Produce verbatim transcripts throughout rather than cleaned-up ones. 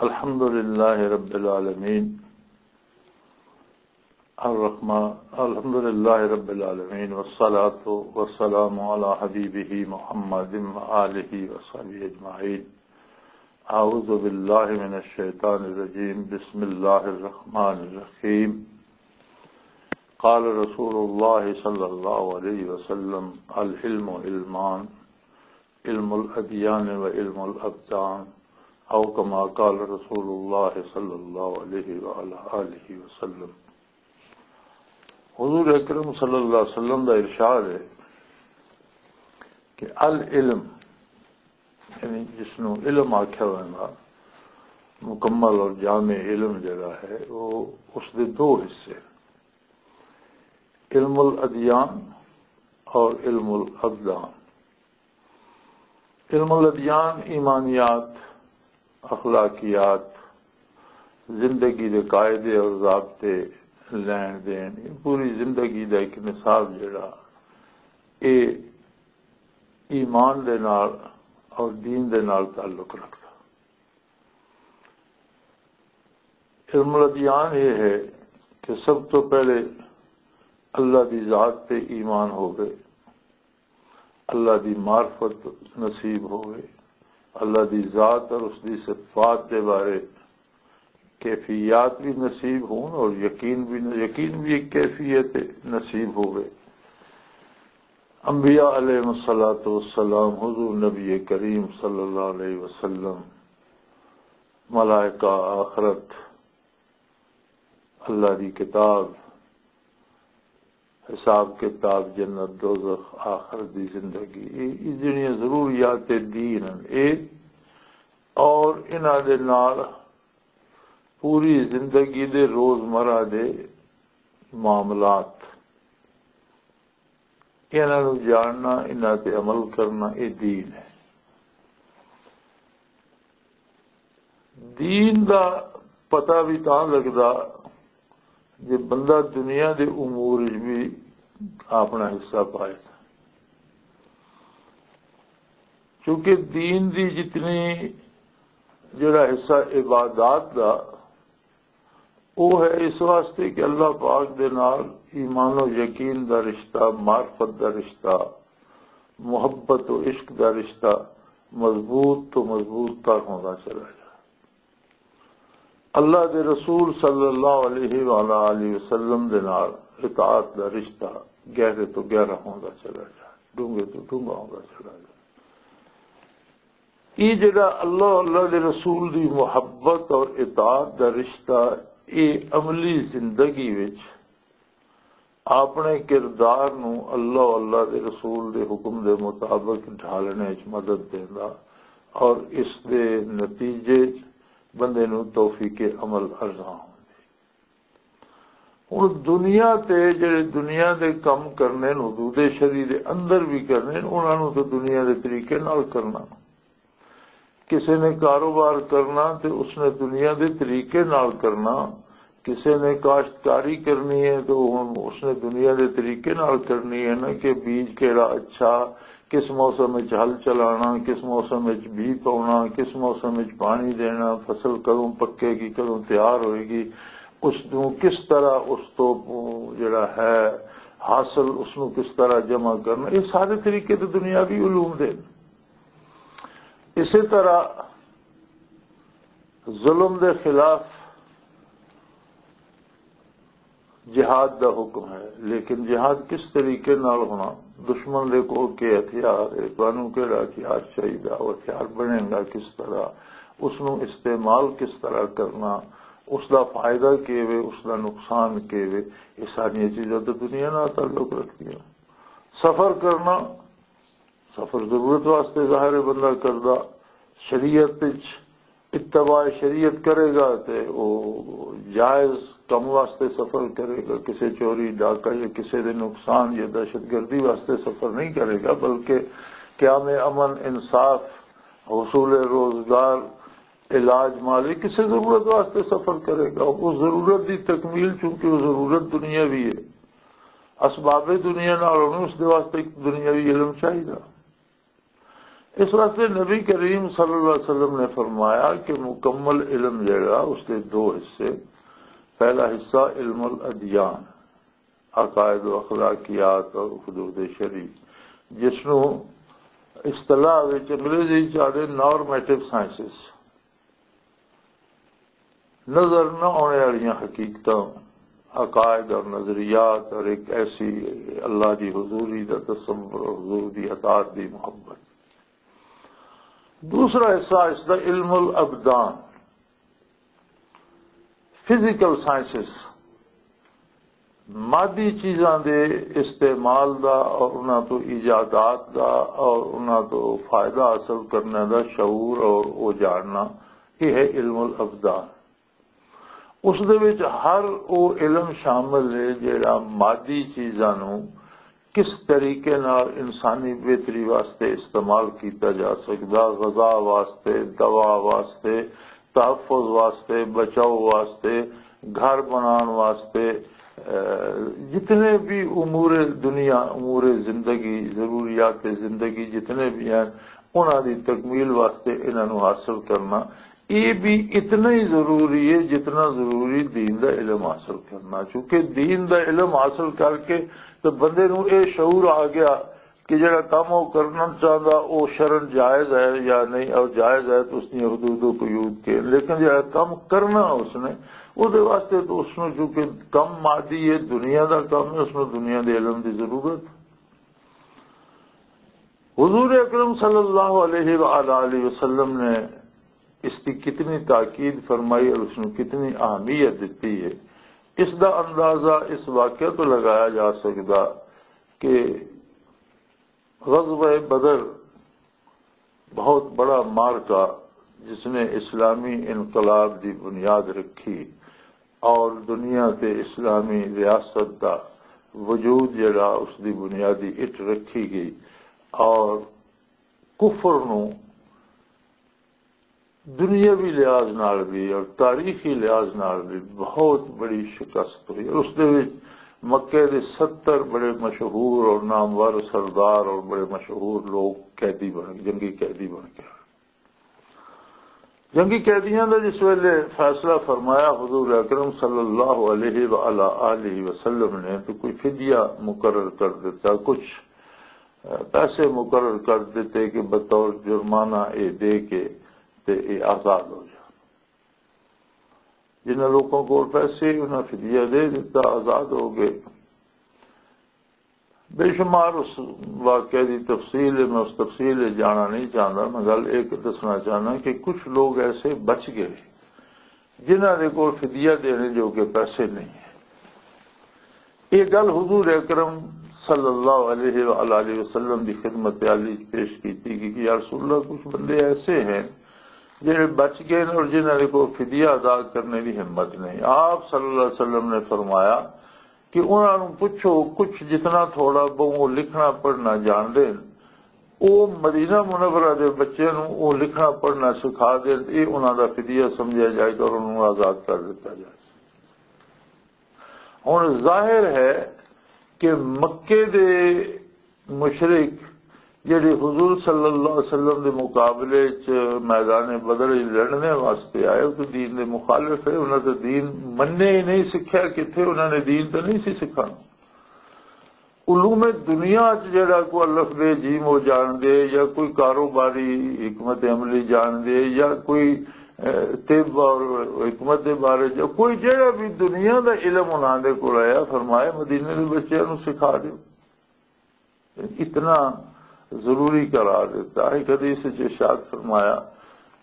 الحمد لله رب العالمين. الرحمن، الحمد لله رب العالمين، والصلاة والسلام على حبيبه محمد وآله وصحبه أجمعين. أعوذ بالله من الشيطان الرجيم. بسم الله الرحمن الرحيم. قال رسول الله صلى الله عليه وسلم: العلم علمان، علم الأديان وعلم الأبدان، أو كما قال رسول الله صلى الله عليه وعلى آله وسلم. حضور اکرم صلی اللہ علیہ وسلم دا ارشاد ہے کہ العلم، یعنی جس نوں علم آکھیا ویندا، مکمل اور جامع علم جڑا ہے، وہ اس دے دو حصے، علم الادیان اور علم الابدان۔ علم الادیان ایمانیات، اخلاقیات، زندگی دے قاعدے اور ضابطے، لین دین، یہ پوری زندگی دا ایک نصاب جڑا، اے ایمان دے نال اور دین دے نال تعلق رکھدا۔ علم الادیان یہ ہے کہ سب تو پہلے اللہ دی ذات تے ایمان ہووے، اللہ دی معرفت نصیب ہووے، اللہ دی ذات اور اس دی صفات دے بارے کیفیات بھی نصیب ہون اور یقین بھی، یقین بھی ایک کیفیت نصیب ہووے۔ انبیاء علیہ الصلوۃ والسلام، حضور نبی کریم صلی اللہ علیہ وسلم، ملائکہ، آخرت، اللہ دی کتاب، حساب کتاب، جنت، دوزخ، آخرت دی زندگی، یہ، یہ جڑیاں ضروریات دین ہیں، یہ اور انہاں دے نال پوری زندگی دے روزمرہ دے معاملات، انہاں نوں جاننا، انہاں تے عمل کرنا، یہ دین ہے۔ دین دا پتہ بھی تاں لگدا جے بندہ دنیا دے امور وچ بھی اپنا حصہ پائے۔ کیونکہ دین دی جتنی، جڑا حصہ عبادات دا، وہ ہے اس واسطے کہ اللہ پاک دے نال ایمان و یقین دا رشتہ، معرفت دا رشتہ، محبت و عشق دا رشتہ مضبوط تو مضبوط تر ہوندا چلا جائے۔ اللہ دے رسول صلی اللہ علیہ وآلہ وسلم دے نال اطاعت دا رشتہ گہرے تو گہرا ہوندا چلا جائے، ڈونگے تو ڈونگا ہوندا چلا جائے۔ یہ جڑا اللہ، اللہ دے رسول دی محبت اور اطاعت دا رشتہ، یہ عملی زندگی وچ اپنے کردار نوں اللہ، اللہ دے رسول دے حکم دے مطابق ڈھالنے وچ مدد دیندا اور اس دے نتیجے وچ بندے نوں توفیق عمل عطا ہوندی۔ ہن دنیا تے جڑے دنیا دے کم کرنے نے، حدود شریع دے اندر بھی کرنے نے، انہاں نوں تے دنیا دے طریقے نال کرنا۔ کسے نے کاروبار کرنا تے اس نے دنیا دے طریقے نال کرنا، کسے نے کاشتکاری کرنی ہے تو ہن اس نے دنیا دے طریقے نال کرنی ہے نا، کہ بیج کیڑا اچھا، کس موسم وچ ہل چلانا، کس موسم وچ بی پاؤنا، کس موسم وچ پانی دینا، فصل کدوں پکے گی، کدوں تیار ہوئے گی، اس نوں کس طرح اس تو جڑا ہے حاصل، اس نوں کس طرح جمع کرنا، یہ سارے طریقے تو دنیاوی علوم دے۔ اسی طرح ظلم دے خلاف جہاد دا حکم ہے، لیکن جہاد کس طریقے نال ہونا، دشمن دے کول کے ہتھیار ہے، تانوں کیڑا ہتھیار چاہیدا، وہ ہتھیار بنے گا کس طرح، اس نوں استعمال کس طرح کرنا، اس دا فائدہ کی وے، اس دا نقصان کی وے، یہ ساری چیزاں تو دنیا نال تعلق رکھدیاں۔ سفر کرنا، سفر ضرورت واسطے ظاہر ہے بندہ کردا، شریعت وچ اتباع شریعت کرے گا تے او جائز کم واسطے سفر کرے گا، کسے چوری ڈاکہ یا کسے دے نقصان یا دہشت گردی واسطے سفر نہیں کرے گا، بلکہ قیام امن، انصاف، حصول روزگار، علاج مالی، کسے ضرورت واسطے سفر کرے گا۔ اس ضرورت دی تکمیل، چونکہ وہ ضرورت دنیاوی ہے، اسباب دنیا نال ہونی، اس دے واسطے ایک دنیاوی علم چاہیدا۔ اس واسطے نبی کریم صلی اللہ علیہ وسلم نے فرمایا کہ مکمل علم جڑا، اس کے دو حصے۔ پہلا حصہ علم الادیان، عقائد و اخلاقیات اور حدود شریف، جس نو اصطلاح وچ انگریزی چ آدھے نارمیٹو سائنسز، نظر نہ آنے والیاں حقیقتاں، عقائد اور نظریات، اور ایک ایسی اللہ دی حضوری دا تصور اور حضور دی اطاعت دی محبت۔ دوسرا حصہ اس دا علم الابدان، فزیکل سائنسز، مادی چیزاں دے استعمال دا اور انہاں تو ایجادات دا اور انہاں تو فائدہ حاصل کرنے دا شعور اور او جاننا، یہ ہے علم الابدان۔ اس دے وچ ہر او علم شامل ہے جڑا مادی چیزاں نوں کس طریقے نال انسانی بہتری واسطے استعمال کیتا جا سکدا، غذا واسطے، دوا واسطے، تحفظ واسطے، بچاؤ واسطے، گھر بنان واسطے، اے، جتنے بھی امور دنیا، امور زندگی، ضروریات زندگی جتنے بھی ہیں، انہاں دی تکمیل واسطے انہاں نوں حاصل کرنا، یہ بھی اتنا ہی ضروری ہے جتنا ضروری دین دا علم حاصل کرنا۔ چونکہ دین دا علم حاصل کر کے تو بندے نوں یہ شعور آ گیا کہ جڑا کم وہ کرنا چاہتا، وہ شرن جائز ہے یا نہیں، اور جائز ہے تو اس کی حدود و قیود کے، لیکن جڑا کم کرنا اس نے، وہ دے واسطے تو اس نوں، چونکہ کم مادی ہے، دنیا دا کم ہے، اس نوں دنیا دے علم دی ضرورت۔ حضور اکرم صلی اللہ علیہ وآلہ وسلم نے اس کی کتنی تاکید فرمائی اور اس نوں کتنی اہمیت دیتی ہے، اس دا اندازہ اس واقعہ تو لگایا جا سکدا کہ غزوہ بدر بہت بڑا معرکہ، جس نے اسلامی انقلاب دی بنیاد رکھی اور دنیا تے اسلامی ریاست دا وجود جڑا، اس دی بنیادی اٹ رکھی گئی اور کفر نوں دنیاوی لحاظ نال بھی اور تاریخی لحاظ نال بھی بہت بڑی شکست ہوئی۔ اور اس دے وچ مکے دے ستر بڑے مشہور اور نامور سردار اور بڑے مشہور لوگ قیدی بن، جنگی قیدی بن گئے۔ جنگی قیدیاں دا جس ویلے فیصلہ فرمایا حضور اکرم صلی اللہ علیہ وآلہ آلہ وسلم نے، تو کوئی فدیہ مقرر کر دیتا، کچھ پیسے مقرر کر دیتے کہ بطور جرمانہ اے دے کے تے اے آزاد ہو جان۔ جنہاں لوگوں کو پیسے، انہاں فدیہ دے دیتا، آزاد ہو گئے۔ بے شمار اس واقعے دی تفصیل ہے، میں اس تفصیل وچ جانا نہیں چاہتا۔ میں گل ایک دسنا چاہنا کہ کچھ لوگ ایسے بچ گئے جنہاں دے کول فدیہ دینے جو کہ پیسے نہیں ہیں۔ یہ گل حضور اکرم صلی اللہ علیہ وآلہ وسلم دی خدمت عالی پیش کی تھی کہ یا رسول اللہ، کچھ بندے ایسے ہیں جڑے بچ گئے اور جنہاں دے کول فدیہ ادا کرنے دی ہمت نہیں۔ آپ صلی اللہ علیہ وسلم نے فرمایا کہ انہاں نوں پوچھو، کچھ جتنا تھوڑا بہت لکھنا پڑھنا جان دین، او مدینہ منورہ دے بچے نوں او لکھنا پڑھنا سکھا دین، اے انہاں دا فدیہ سمجھیا جائے گا اور انہاں نوں آزاد کر دتا جائے۔ ہن ظاہر ہے کہ مکے دے مشرک جڑے حضور صلی اللہ علیہ وسلم دے مقابلے چ میدان بدر وچ لڑنے واسطے آئے، او تے دین دے مخالف ہے، انہاں تے دین مننے ہی نہیں، سکھیا کتھے، انہاں نے دین تے نہیں سی سکھانا۔ علوم دنیا چ جڑا کوئی الف بے جیم ہو جان دے، یا کوئی کاروباری حکمت عملی جان دے، یا کوئی، اے، طب اور حکمت دے بارے، یا کوئی جڑا بھی دنیا دا علم انہاں دے کول آیا، فرمایا مدینے دے بچیاں نوں سکھا دیو۔ اتنا ضروری قرار دیتا۔ ایک حدیث وچ ارشاد فرمایا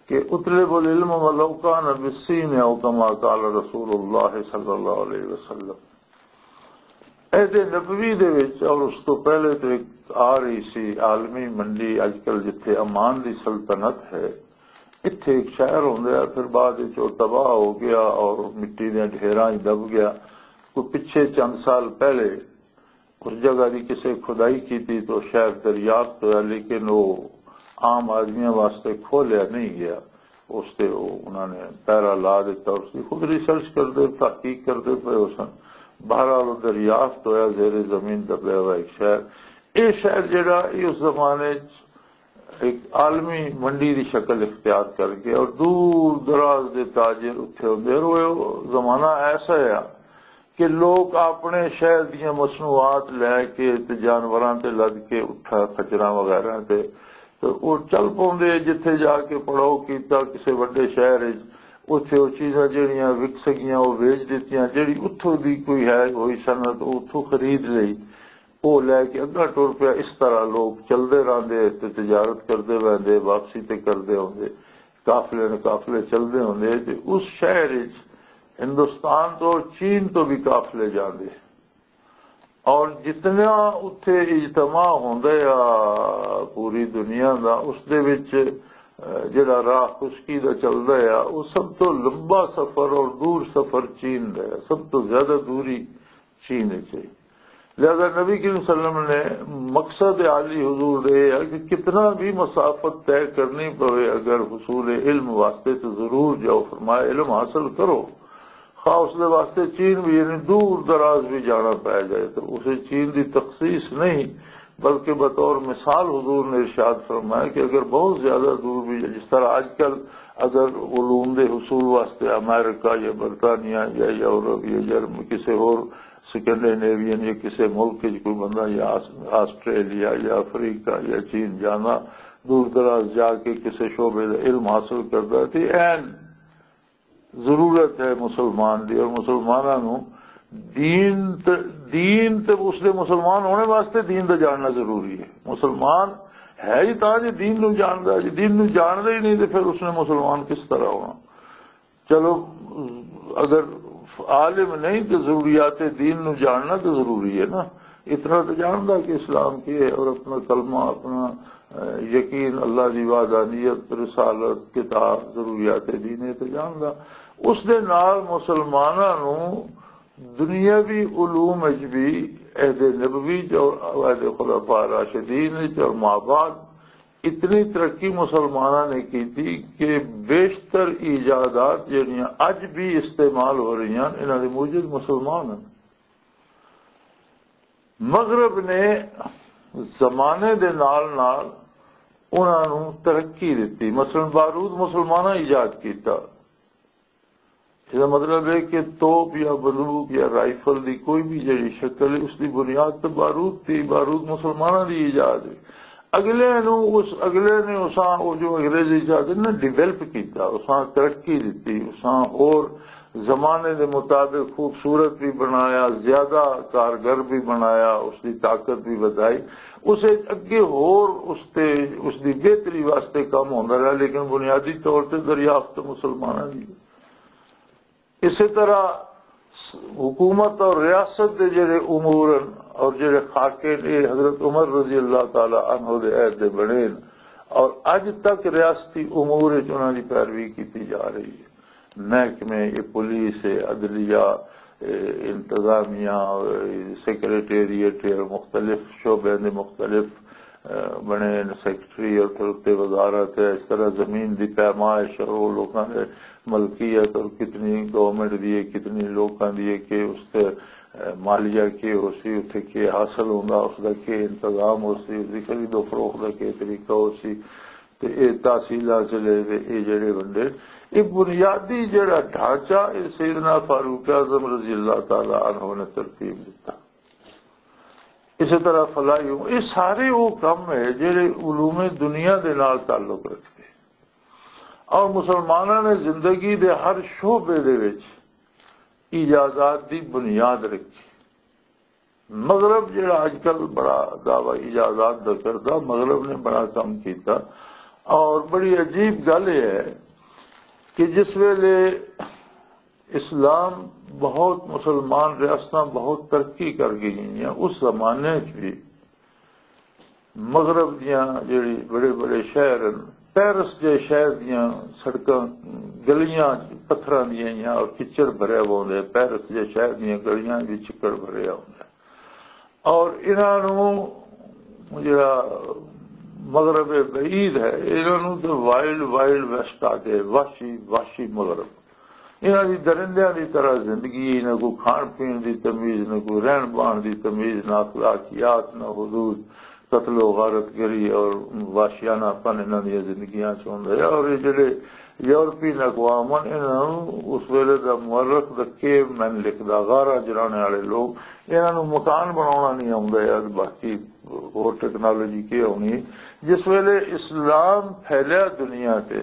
کہ اطلب العلم ولو کان بالصین، او کما قال رسول اللہ صلی اللہ علیہ وسلم۔ عہد نبوی دے وچ اور اس تو پہلے تو ایک آ رہی سی عالمی منڈی، اج کل جتھے امان دی سلطنت ہے، اتھے ایک شہر ہوندا ہے، پھر بعد وچ او تباہ ہو گیا اور مٹی دے ڈھیراں وچ دب گیا۔ کوئی پچھے چند سال پہلے اس جگہ دی کسے کھدائی کیتی تو شہر دریافت ہویا، لیکن وہ عام آدمیاں واسطے کھولیا نہیں گیا۔ اس تے وہ انہاں نے پیرا لا دیتا، اس کی خود ریسرچ کردے، تحقیق کردے پئے ہو سن۔ بہرحال وہ دریافت ہویا، زیر زمین دبیا ہوا ایک شہر۔ یہ شہر جڑا، یہ اس زمانے چ ایک عالمی منڈی دی شکل اختیار کر گیا اور دور دراز دے تاجر اتھے ہوندے۔ اور وہ زمانہ ایسا ہے کہ لوگ اپنے شہر دیاں مصنوعات لے کے تے جانوراں تے لد کے اٹھا کچرا وغیرہ تے، تے وہ چل پوندے۔ جتھے جا کے پڑاؤ کیتا کسے وڈے شہر وچ، اتھے وہ چیزاں جہڑیاں وک سکیاں وہ ویچ دتیاں، جہڑی اتھوں دی کوئی ہے ہوئی صنعت وہ اتھوں خرید لئی، وہ لے کے اگاں ٹر پیا۔ اس طرح لوگ چلدے رہندے تے تجارت کردے ویندے، واپسی تے کردے ہوندے، قافلے نے قافلے چلدے ہوندے۔ تے اس شہر وچ ہندوستان تو چین تو بھی قافلے جاندے، اور جتنا اتھے اجتماع ہوندا آ پوری دنیا دا، اس دے وچ، اے، جڑا راہ خشکی دا چلدا آ، وہ سب تو لمبا سفر اور دور سفر چین دا ہے، سب تو زیادہ دوری چین وچ ہے۔ لہذا نبی کریم صلی اللہ علیہ وسلم نے مقصد عالی حضور دے یہ ہے کہ کتنا بھی مسافت طے کرنی پوے، اگر حصول علم واسطے تو ضرور جاؤ، فرمایا علم حاصل کرو، خواہ اس دے واسطے چین بھی، یعنی دور دراز بھی جانا پی جائے، تو اسے چین دی تخصیص نہیں، بلکہ بطور مثال حضور نے ارشاد فرمایا کہ اگر بہت زیادہ دور بھی، جس طرح آج کل اگر علوم دے حصول واسطے امریکہ یا برطانیہ یا یورپ یا جرم کسی ہور سکینڈینیوین یا کسی ملک وچ کوئی بندہ یا آس-، آسٹریلیا یا افریقہ یا چین جانا، دور دراز جا کے کسی شعبے دا علم حاصل کردا ہے، تے این ضرورت ہے مسلمان دی، اور مسلماناں نوں دین تے، دین تے اس دے مسلمان ہونے واسطے دین دا جاننا ضروری ہے۔ مسلمان ہے ہی تاں جے دین نوں جاندا، جے دین نوں جاندا ہی نہیں تے پھر اس نے مسلمان کس طرح ہونا؟ چلو، اگر عالم نہیں تو ضروریات دین نوں جاننا تو ضروری ہے نا۔ اتنا تو جاندا کہ اسلام کی ہے اور اپنا کلمہ، اپنا، اے، یقین اللہ دی وحدانیت، رسالت، کتاب، ضروریات دین ہے تو جاندا۔ اس دے نال مسلماناں نوں دنیاوی علوم وچ بھی عہد نبوی چ اور عہد خلفاء راشدین وچ اور مابعد اتنی ترقی مسلماناں نے کیتی کہ بیشتر ایجادات جڑیاں اج بھی استعمال ہو رہی ہیں، انہاں دے موجد مسلمان ہیں۔ مغرب نے زمانے دے نال نال انہاں نوں ترقی دتی۔ مثلاً بارود مسلماناں ایجاد کیتا۔ اس دا مطلب ہے کہ توپ یا بندوق یا رائفل دی کوئی بھی جڑی شکل ہے، اس دی بنیاد تے بارود تھی۔ بارود مسلماناں دی ایجاد ہے۔ اگلے نو اس، اگلے نے اساں، او جو انگریز ایجاد ہے نا، ڈیولپ کیتا، اساں ترقی دتی، اساں ہور زمانے دے مطابق خوبصورت بھی بنایا، زیادہ کارگر بھی بنایا، اس دی طاقت بھی ودائی۔ اسے اگے ہور اس تے، اس دی بہتری واسطے کم ہوندا رہا، لیکن بنیادی طور تے دریافت مسلماناں دی۔ اسی طرح حکومت اور ریاست دے جڑے امور ہیں اور جڑے خاکے نے، حضرت عمر رضی اللہ تعالی عنہ دے عہد دے بنے ہیں اور اج تک ریاستی امور وچ انہاں دی پیروی کیتی جا رہی ہے۔ محکمے، یہ پولیس ہے، عدلیہ، اے، انتظامیہ، اے، سیکرٹریٹ ہے، مختلف شعبے دے مختلف، اے، بنے نے سیکرٹری اور پھر اتنے وزارت ہے۔ اس طرح زمین دی پیمائش اور وہ لوگوں نے ملکیت اور کتنی گورنمنٹ دی ہے، کتنی لوکاں دی ہے، کہ اس تے، اے، مالیہ کی ہو سی، اتنے کی حاصل ہوندا، اس دا کی انتظام ہو سی، اس دی خرید و فروخت دا کی طریقہ ہو سی، تے اے تحصیلاں سے لے تے اے جڑے ونڈے، اے بنیادی جڑا ڈھانچہ اے سیدنا فاروق اعظم رضی اللہ تعالی عنہ نے ترتیب دیتا۔ اسی طرح فلاحی ہوں، یہ سارے وہ کم ہے جڑے علوم دنیا دے نال تعلق رکھتے اور مسلمانوں نے زندگی دے ہر شعبے دے وچ ایجادات دی بنیاد رکھی۔ مغرب جڑا اج کل بڑا دعوی ایجادات دا کردا، مغرب نے بڑا کم کیتا۔ اور بڑی عجیب گل یہ ہے کہ جس ویلے اسلام بہت، مسلمان ریاستاں بہت ترقی کر گئی ہیں، اس زمانے وچ بھی مغرب دیاں جڑی بڑے بڑے شہر ہیں، پیرس جے شہر دیاں سڑکاں، گلیاں پتھراں دیاں ہیاں اور کچڑ بھریا ہوا ہوندا ہے۔ پیرس جے شہر دیاں گلیاں وچ چکڑ بھریا ہوندا ہے۔ اور انہاں نوں جڑا مغرب بعید ہے، انہاں نوں تے وائلڈ، وائلڈ ویسٹ آ کے، وحشی، وحشی مغرب۔ انہاں دی درندیاں دی طرح زندگی، نہ کوئی کھان پین دی تمیز، نہ کوئی رہن بہن دی تمیز، نہ اخلاقیات، نہ حدود، قتل و غارت گری اور واشیانہ پن انہاں دیاں زندگیاں چ ہوندا ہے۔ اور یہ جڑے یورپین اقوام ہن، انہاں نوں اس ویلے دا مورخ دا کیو مین لکھدا، غارہ جرانے والے لوگ، انہاں نوں مکان بناونا نہیں آوندا یار، باقی ہور ٹیکنالوجی کی ہونی ہے۔ جس ویلے اسلام پھیلیا دنیا تے،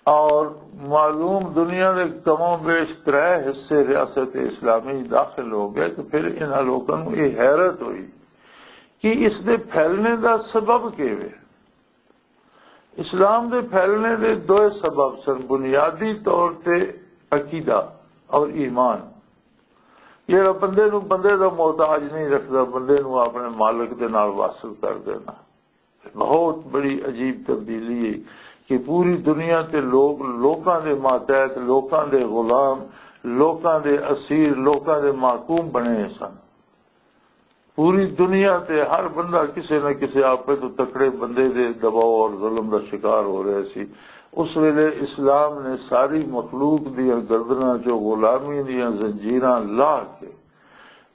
اور معلوم دنیا دے کم و بیش ترے حصے ریاست اسلامی داخل ہو گئے، تو پھر انہاں لوکاں نوں یہ حیرت ہوئی کہ اس دے پھیلنے دا سبب کی ہے۔ اسلام دے پھیلنے دے دو سبب سن، بنیادی طور تے عقیدہ اور ایمان، جڑا بندے نوں بندے دا محتاج نہیں رکھدا، بندے نوں اپنے مالک دے نال واصل کر دینا۔ بہت بڑی عجیب تبدیلی ہے کہ پوری دنیا تے لوگ، لوکاں دے ماتحت، لوکاں دے غلام، لوکاں دے اسیر، لوکاں دے محکوم بنے سن۔ پوری دنیا تے ہر بندہ کسے نہ کسے آپے تو تکڑے بندے دے دباؤ اور ظلم دا شکار ہو رہا سی۔ اس ویلے اسلام نے ساری مخلوق دیاں گردناں چوں غلامی دیاں زنجیراں لاہ کے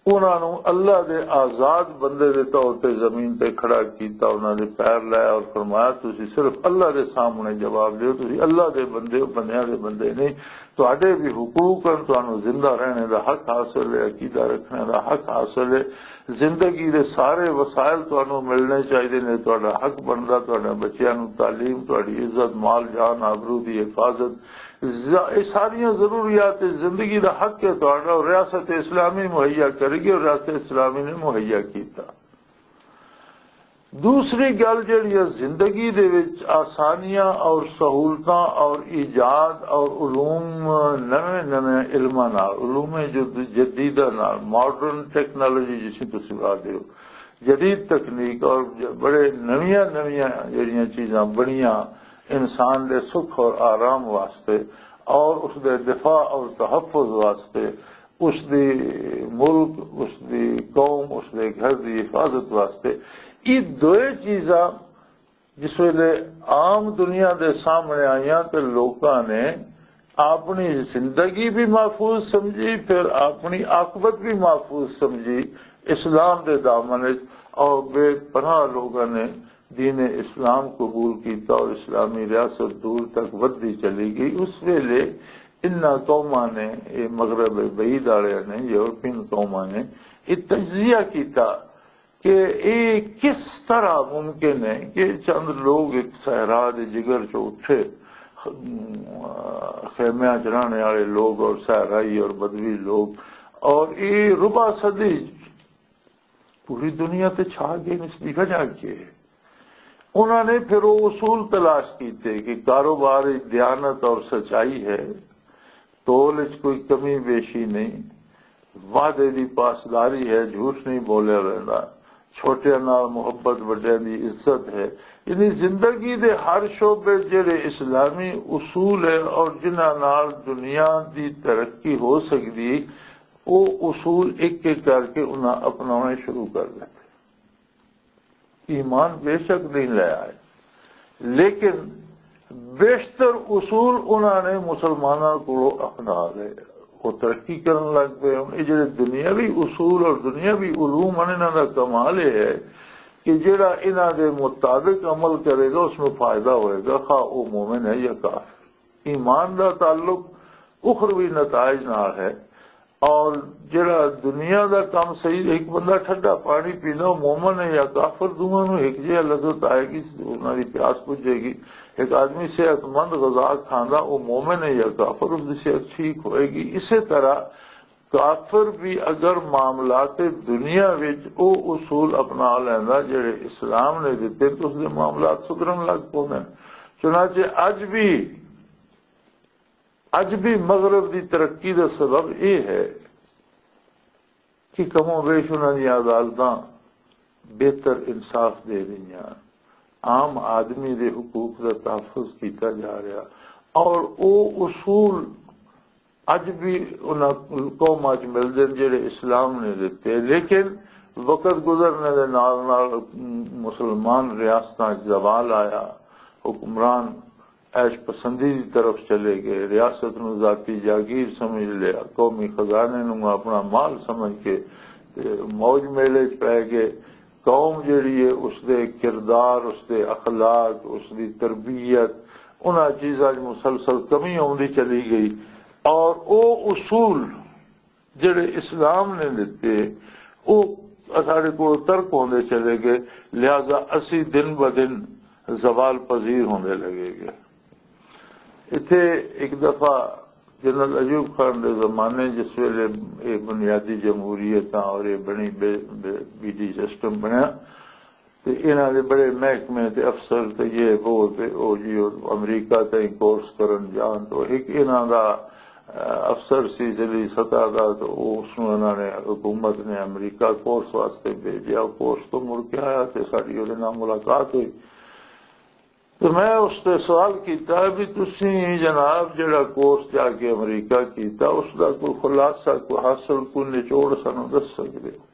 انہاں نوں اللہ دے آزاد بندے دے طور تے زمین تے کھڑا کیتا، انہاں دے پیر لائے اور فرمایا، "تسی صرف اللہ دے سامنے جواب دیو، تسی اللہ دے بندے ہو، بندیاں دے بندے نہیں۔ تہاڈے بھی حقوق ہن، تانوں زندہ رہنے دا حق حاصل ہے، عقیدہ رکھنے دا حق حاصل ہے، زندگی دے سارے وسائل تانوں ملنے چاہیے نے، تہاڈا حق بندا، تہاڈے بچیاں نوں تعلیم، تہاڈی عزت، مال جان، آبرو دی حفاظت، ز-، یہ ساریاں ضروریات زندگی دا حق ہے تہاڈا، اور ریاست اسلامی مہیا کرے گی، اور ریاست اسلامی نے مہیا کیتا۔" دوسری گل جڑی ہے، زندگی دے وچ آسانیاں اور سہولتاں اور ایجاد اور علوم، نویں نویں علماں نال، علوم جد-، جدیدہ نال، ماڈرن ٹیکنالوجی جس نوں تسی آکھدے ہو، جدید تکنیک اور ج-، بڑے نویاں نویاں جڑیاں چیزاں بنیاں انسان دے سکھ اور آرام واسطے اور اس دے دفاع اور تحفظ واسطے، اس دی ملک، اس دی قوم، اس دے گھر دی حفاظت واسطے، یہ دوئے چیزاں جس ویلے عام دنیا دے سامنے آئیاں تے لوکاں نے اپنی زندگی بھی محفوظ سمجھی، پھر اپنی عاقبت بھی محفوظ سمجھی، اسلام دے دامن وچ اور بے پناہ لوگاں نے دین اسلام قبول کیتا اور اسلامی ریاست دور تک ودی چلی گئی۔ اس ویلے انہاں قوماں نے، یہ مغرب بعید والے نے، یورپین قوماں نے یہ تجزیہ کیتا کہ یہ کس طرح ممکن ہے کہ چند لوگ ایک صحرا دے جگر چ اٹھے، خیمیاں چ رہنے والے لوگ اور صحرائی اور بدوی لوگ، اور یہ ربع صدی پوری دنیا تے چھا گئے، اس دی وجہ کی ہے؟ انہوں نے پھر وہ اصول تلاش کیتے کہ کاروبار وچ دیانت اور سچائی ہے، تول وچ کوئی کمی بیشی نہیں، وعدے دی پاسداری ہے، جھوٹ نہیں بولیا ویندا، چھوٹیاں نال محبت، وڈیاں دی عزت ہے۔ یعنی زندگی دے ہر شعبے جڑے اسلامی اصول ہے اور جنہاں نال دنیا دی ترقی ہو سکدی، وہ اصول ایک ایک کر کے انہاں اپناونے شروع کر دتے۔ ایمان بے شک نہیں لے آئے، لیکن بیشتر اصول انہاں نے مسلماناں کو اپنا لے۔ وہ ترقی کرن لگ پے۔ ہن یہ جڑے دنیاوی اصول اور دنیاوی علوم ہیں، انہاں دا کمال یہ ہے کہ جڑا انہاں دے مطابق عمل کرے گا، اس میں فائدہ ہوئے گا، خواہ وہ مومن ہے یا کافر۔ ایمان دا تعلق اخروی نتائج نال ہے۔ اور جڑا دنیا دا کم صحیح، ایک بندہ ٹھنڈا پانی پینا، وہ مومن ہے یا کافر، دونوں نوں ایک جہا لذت آئے گی، انہاں دی پیاس بجھے گی۔ ایک آدمی صحت مند غذا کھاندا، وہ مومن ہے یا کافر، اس دی صحت ٹھیک ہوئے گی۔ اسی طرح کافر بھی اگر معاملات دنیا وچ او اصول اپنا لیندا جڑے اسلام نے دتے، تو اس دے معاملات سدھرن لگ پوندے نے۔ چنانچہ اج بھی اج بھی مغرب دی ترقی دا سبب یہ ہے کہ کم و بیش انہاں دیاں عدالتاں بہتر انصاف دے رہیاں، عام آدمی دے حقوق دا تحفظ کیتا جا رہا، اور او اصول اج بھی انہاں قوماں چ ملدے نے جڑے اسلام نے دتے۔ لیکن وقت گزرنے دے نال نال مسلمان ریاستاں چ زوال آیا، حکمران عیش پسندی دی طرف چلے گئے، ریاست نوں ذاتی جاگیر سمجھ لیا، قومی خزانے نوں اپنا مال سمجھ کے تے موج میلے چ پے گئے۔ قوم جیڑی ہے، اس دے کردار، اس دے اخلاق، اس دی تربیت، انہاں چیزاں 'چ مسلسل کمی آوندی چلی گئی۔ اور او اصول جڑے اسلام نے دتے، او ساڈے کول ترک ہوندے چلے گئے، لہذا اسی دن ب دن زوال پذیر ہوندے لگے گئے۔ اتھے ایک دفعہ جنرل ایوب خان دے زمانے، جس ویلے یہ بنیادی جمہوریت اور یہ بنی بی ڈی سسٹم بنیا، تے انہاں دے بڑے محکمے تے افسر تے یہ وہ تے او جی، او امریکہ تائیں کورس کرن جان۔ تو ایک انہاں دا، اہ، افسر سی، ذیلی سطح دا، تو او اس نوں انہاں نے، حکومت نے امریکہ کورس واسطے بھیجیا۔ او کورس تو مڑ کے آیا تے ساڈی اودے نال ملاقات ہوئی۔ تے میں اس تے سوال کیتا بھی، "تسی جناب جڑا کورس جا کے امریکہ کیتا، اس دا کوئی خلاصہ، کوئی حاصل، کوئی نچوڑ سانوں دس سکدے ہو؟"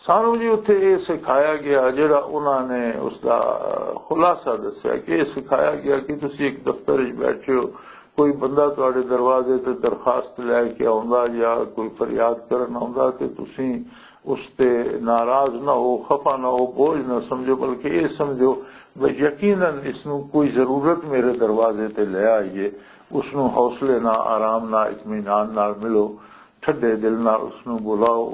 سانوں جی اتھے یہ سکھایا گیا، جڑا انہاں نے اس دا خلاصہ دسیا کہ یہ سکھایا گیا کہ تسی ایک دفتر وچ بیٹھے ہو، کوئی بندہ تواڈے دروازے تے درخواست لے کے آوندا یا کوئی فریاد کرن آوندا، تے تسی اس تے ناراض نہ ہو، خفا نہ ہو، بوجھ نہ سمجھو، بلکہ یہ سمجھو بھئی یقیناً اس نوں کوئی ضرورت میرے دروازے تے لے آئی ہے۔ اس نوں حوصلے نال، آرام نال، اطمینان نال ملو، ٹھڈے دل نال اس نوں بلاؤ،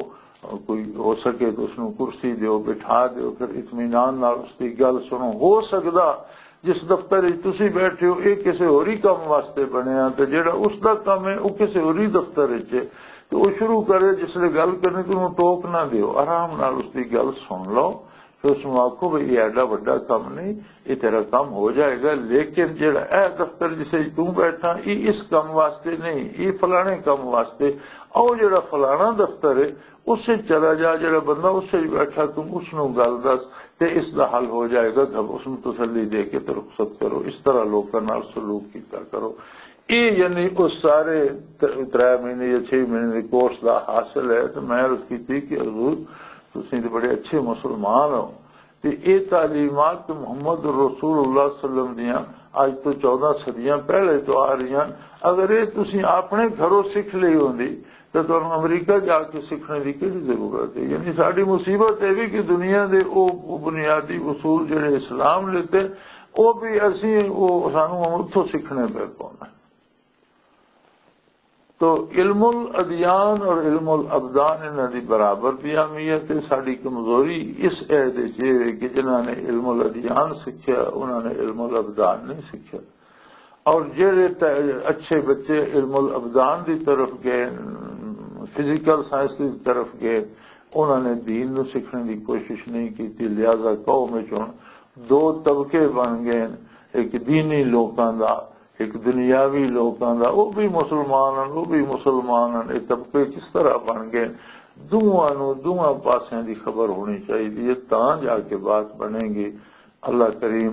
کوئی ہو سکے تو اس نوں کرسی دیو، بٹھا دیو، پھر اطمینان نال اس دی گل سنو۔ ہو سکدا جس دفتر وچ تسی بیٹھے ہو، یہ کسی ہوری کم واسطے بنیا، تے جڑا اس دا کم ہے، وہ کسی ہوری دفتر وچ ہے، تے وہ شروع کرے، جس لے گل کرنی، تے انہوں ٹوک نہ دیو، آرام نال اس دی گل سن لو، پھر اس نوں آکھو، "بھئی، یہ ایڈا وڈا کم نہیں، یہ تیرا کم ہو جائے گا، لیکن جڑا اے دفتر جسے تو بیٹھا، یہ اس کم واسطے نہیں، یہ فلانے کم واسطے، او جڑا فلانا دفتر ہے، اس سے چلا جا، جڑا بندہ اس سے بیٹھا، تم اس نوں گل دس، تے اس دا حل ہو جائے گا، گھب-، اس نوں تسلی دے کے تے رخصت کرو۔" اس طرح لوکاں نال سلوک کیتا کرو۔ یہ یعنی اس سارے ت-، ترے مہینے یا چھ مہینے دے کورس دا حاصل ہے۔ تو میں عرض کیتی کہ حضور، تسی تے بڑے اچھے مسلمان ہو، تے اے تعلیمات تے محمد رسول اللہ صلی اللہ علیہ وسلم دیاں اج تو چودہ صدیاں پہلے تو آ رہی ہیں۔ اگر اے تسی اپنے گھروں سکھ لئی ہوندی تے تانوں امریکہ جا کے سکھنے دی کہڑی ضرورت ہے؟ یعنی ساڈی مصیبت اے وی کہ دنیا دے او بنیادی اصول جڑے اسلام لیتے، او بھی اسی، او سانوں اتھوں سکھنے پے پونا۔ تو علم الادیان اور علم الابدان انہاں دی برابر دی اہمیت ہے۔ ساڈی کمزوری اس عہد وچ یہ ہے کہ جنہاں نے علم الادیان سکھیا، انہاں نے علم الابدان نہیں سکھیا۔ اور جہڑے ت-، اچھے بچے علم الابدان دی طرف گئے، فزیکل سائنس دی طرف گئے، انہاں نے دین نو سکھنے دی کوشش نہیں کیتی۔ لہذا قوم وچ ہن دو طبقے بن گئے، ایک دینی لوکاں دا، ایک دنیاوی لوکاں دا، وہ بھی مسلمان ہیں، وہ بھی مسلمان ہیں، یہ طبقے کس طرح بن گئے؟ دونوں نو، دونوں پاسوں دی خبر ہونی چاہیے، تاں جا کے بات بنے گی۔ اللہ کریم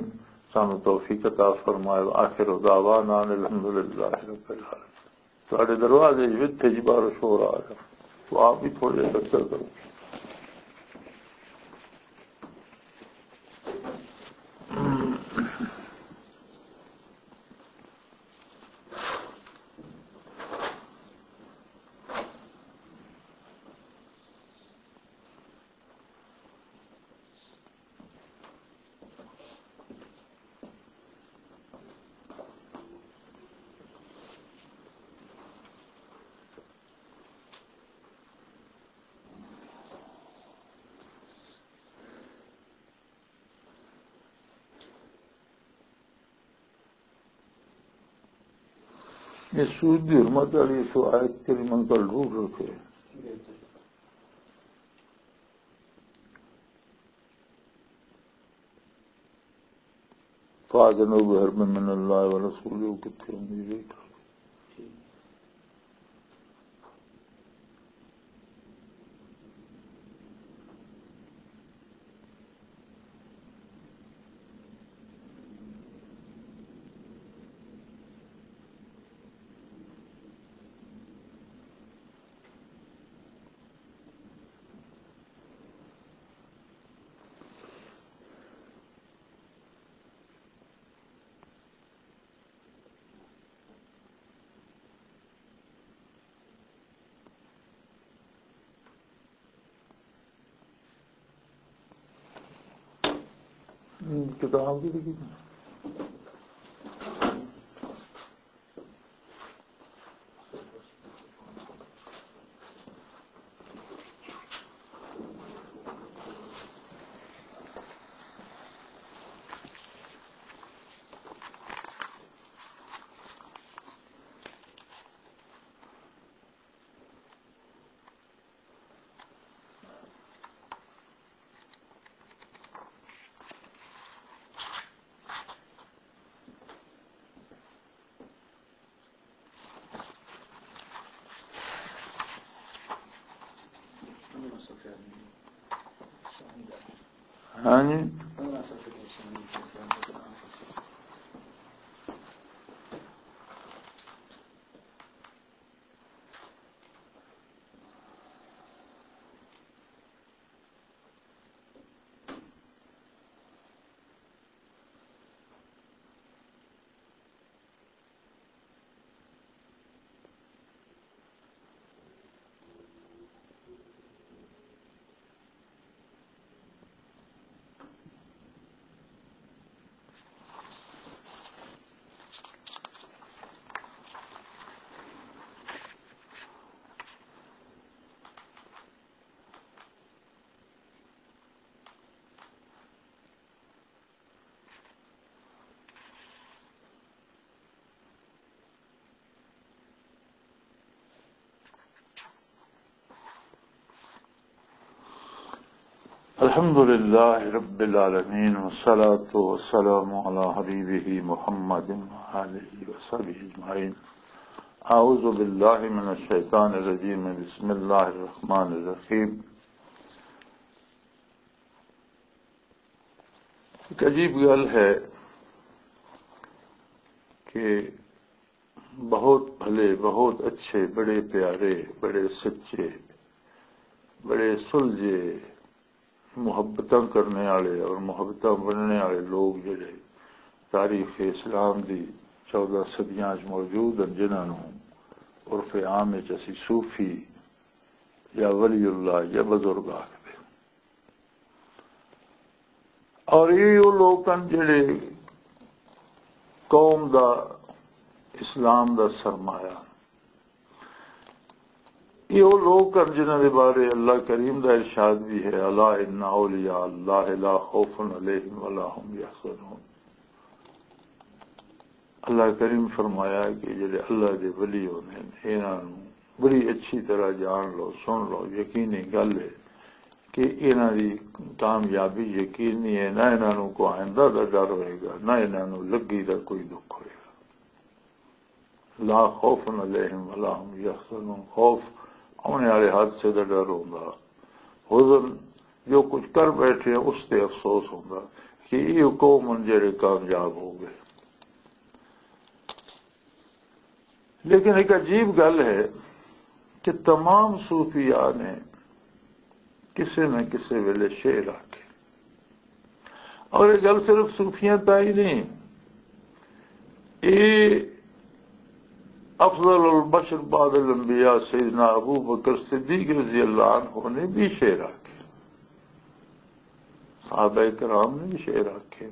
سانو توفیق عطا فرمائے۔ آخر دعوانا ان الحمدللہ رب العالمین۔ تہاڈے دروازے وچ وتھے جی باہروں شور آ رہا، تو آپ بھی تھوڑے جہے چکر کرو۔ یہ سود دی حرمت والی اس آیت کریمہ کل روح رکھے۔ فاذنوا بحرب من اللہ ورسولہ کتھے ہوندی ہے؟ کتاب کی لکھی؟ ہاں جی۔ الحمد لله رب العالمين، والصلاة والسلام على حبيبه محمد وآله وصحبه أجمعين۔ أعوذ بالله من الشيطان الرجيم، بسم الله الرحمن الرحيم۔ ایک عجیب گل ہے کہ بہت بھلے، بہت اچھے، بڑے پیارے، بڑے سچے، بڑے سلجھے، محبتاں کرنے والے اور محبتاں ونڈنے والے لوگ جڑے تاریخ اسلام دی چودہ صدیاں وچ موجود ہیں، جنہاں نوں عرف عام وچ اسی صوفی یا ولی اللہ یا بزرگ آکھدے۔ اور یہ وہ لوگ ہیں جڑے قوم دا، اسلام دا سرمایہ، یہ وہ لوگ ہیں جنہاں دے بارے اللہ کریم دا ارشاد بھی ہے، "الا ان اولیاء اللہ لا خوف علیہم ولا هم یحزنون۔" اللہ کریم فرمایا کہ جڑے اللہ دے ولی ہوندے نے، انہاں نوں بڑی اچھی طرح جان لو، سن لو، یقینی گل ہے کہ انہاں دی کامیابی یقینی ہے، نہ انہاں نوں کوئی آئندہ دا ڈر ہوئے گا، نہ انہاں نوں لگی دا کوئی دکھ ہوئے گا۔ لا خوف علیہم ولا هم یحزنون، خوف آنے والے حادثے دا ڈر ہوندا، حزن جو کچھ کر بیٹھے ہیں اس تے افسوس ہوندا کہ یہ قوم ہن جڑے کامیاب ہو گئے۔ لیکن ایک عجیب گل ہے کہ تمام صوفیاء نے کسے نہ کسے ویلے شعر آکھے۔ اور یہ گل صرف صوفیاء تائیں نہیں، یہ افضل البشر بعد الانبیاء سیدنا ابو بکر صدیق رضی اللہ عنہ نے بھی شعر آکھے، صحابہ کرام نے بھی شعر آکھے۔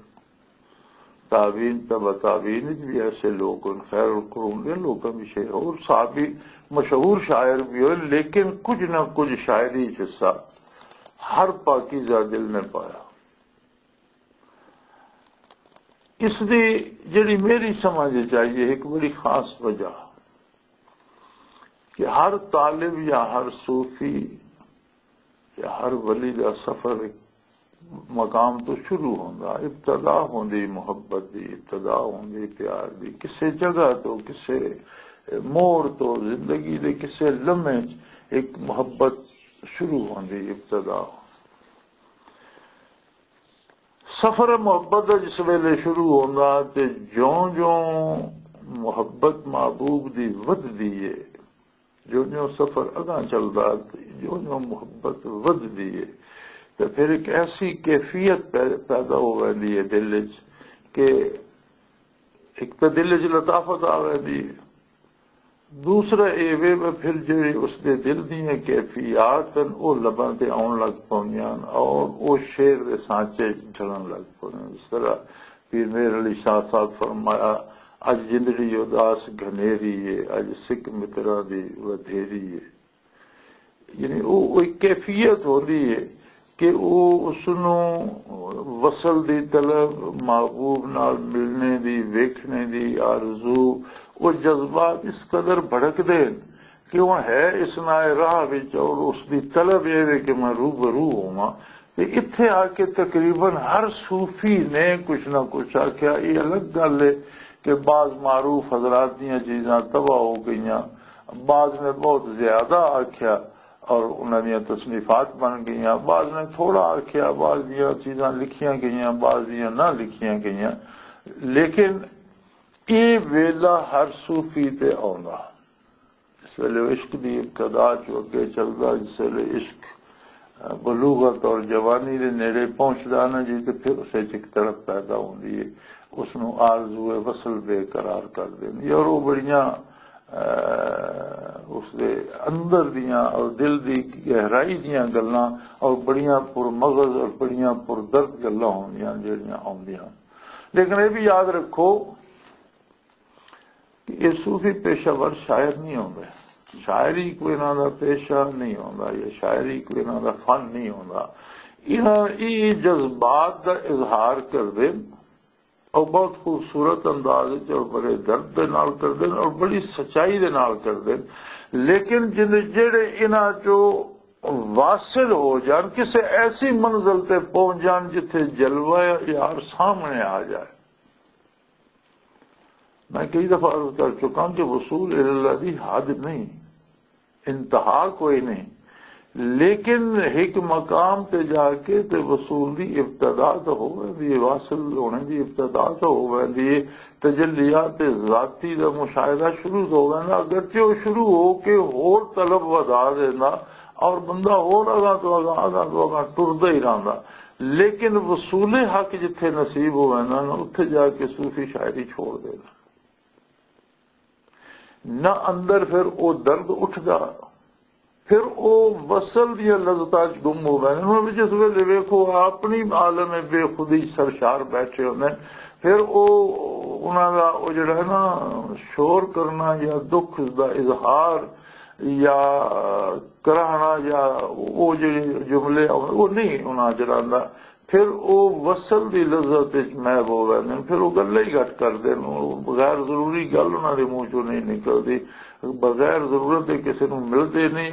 تابعین، تبع تابعین وچ بھی ایسے لوگ ہن، خیر القرون دے لوکاں بھی شعر، اور صحابی مشہور شاعر بھی ہوئے، لیکن کچھ نہ کچھ شاعری چ حصہ ہر پاکیزہ دل نے پایا۔ اس دی جڑی میری سمجھ وچ آئی ہے، ایک بڑی خاص وجہ کہ ہر طالب یا ہر صوفی یا ہر ولی دا سفر ایک مقام تو شروع ہوندا، ابتدا ہوندی محبت دی، ابتدا ہوندی پیار دی، کسے جگہ تو، کسے موڑ تو، زندگی دے کسے لمحے چ ایک محبت شروع ہوندی، ابتدا ہوندی۔ سفر محبت دا جس ویلے شروع ہوندا تے جوں جوں محبت محبوب دی ودھدی ہے، جو جو سفر اگاں چلدا، جو جو محبت ودھدی ہے، تے پھر ایک ایسی کیفیت پے-، پیدا ہو ویندی ہے دل وچ کہ ایک تے دل وچ لطافت آ ویندی ہے، دوسرا اے وے، وہ پھر جڑے اس دے دل دیاں کیفیات ہن، او لباں تے آن لگ پوندیاں ہن اور او شعر دے سانچے ڈھلن لگ پوندے ہن۔ جس طرح پیر مہر علی شاہ صاحب فرمایا، "اج جندڑی اداس گھنیری ہے، اج سکھ متراں دی ودھیری ہے۔" یعنی او، او ایک کیفیت ہوندی ہے کہ او اس نوں وصل دی طلب، محبوب نال ملنے دی، ویکھنے دی آرزو، او جذبات اس قدر بھڑک دے کہ ہن ہے اس نائے راہ وچ اور اس دی طلب اے وے کہ میں روبرو ہوواں۔ تے اتھے آ کے تقریباً ہر صوفی نے کچھ نہ کچھ آکھیا۔ یہ الگ گل ہے کہ بعض معروف حضرات دیاں چیزاں تباہ ہو گئیاں، بعض نے بہت زیادہ آکھیا اور انہاں دیاں تصنیفات بن گئیاں، بعض نے تھوڑا آکھیا، بعض دیاں چیزاں لکھیاں گئیاں، بعض دیاں نہ لکھیاں گئیاں۔ لیکن یہ ویلا ہر صوفی تے آوندا۔ اس ویلے عشق دی ابتدا چوں اگے چلدا، جس ویلے عشق، آ، بلوغت اور جوانی دے نیڑے پہنچدا نا جی، تے پھر اسے چ ایک تڑپ پیدا ہوندی ہے، اس نوں آرزو وصل بے قرار کر دیندی ہے۔ اور وہ بڑیاں، آ، اس دے اندر دیاں اور دل دی گہرائی دیاں گلاں اور بڑیاں پر مغز اور بڑیاں پر درد گلاں ہوندیاں جڑیاں آوندیاں۔ لیکن یہ بھی یاد رکھو کہ یہ صوفی پیشہ ور شاعر نہیں ہوندا، شاعری کوئی انہاں دا پیشہ نہیں ہوندا، یا شاعری کوئی انہاں دا فن نہیں ہوندا۔ انہاں یہ جذبات دا اظہار کر دے اور بہت خوبصورت انداز وچ اور بڑے درد دے نال کر دے اور بڑی سچائی دے نال کر دے۔ لیکن جن جڑے انہاں چوں واصل ہو جان، کسے ایسی منزل تے پہنچ جان جتھے جلوہ یار سامنے آ جائے۔ میں کئی دفعہ عرض کر چکا کہ وصول اللہ دی حد نہیں، انتہا کوئی نہیں، لیکن ایک مقام تے جا کے تے وصول دی ابتدا تو ہو ویندی ہے، واصل ہونے دی ابتدا تو ہو ویندی ہے۔ تجلیات ذاتی دا مشاہدہ شروع ہو ویندا، اگرچہ وہ شروع ہو کے ہور طلب ودا دینا اور بندہ ہور اگاں تو اگاں، اگاں تو اگاں ٹردا ہی رہندا، لیکن وصول حق جتھے نصیب ہو ویندا نا، اتھے جا کے صوفی شاعری چھوڑ دینا۔ نہ اندر پھر او درد اٹھدا، پھر او وصل دیاں لذتاں چ گم ہو گئے۔ انہاں وچ اس ویلے ویکھو، اپنی عالم بے خودی چ سرشار بیٹھے ہوندے۔ پھر او، انہاں دا او جڑا ہے نا، شور کرنا یا دکھ دا اظہار یا کراہنا یا او جڑے جملے، او نہیں انہاں جڑا آندا۔ پھر او وصل دی لذت وچ محو ہو ویندے نے، پھر او گلاں ہی گھٹ کردے نے، او غیر ضروری گل انہاں دے منہ چوں نہیں نکلدی، بغیر ضرورت دے کسے نوں ملدے نہیں۔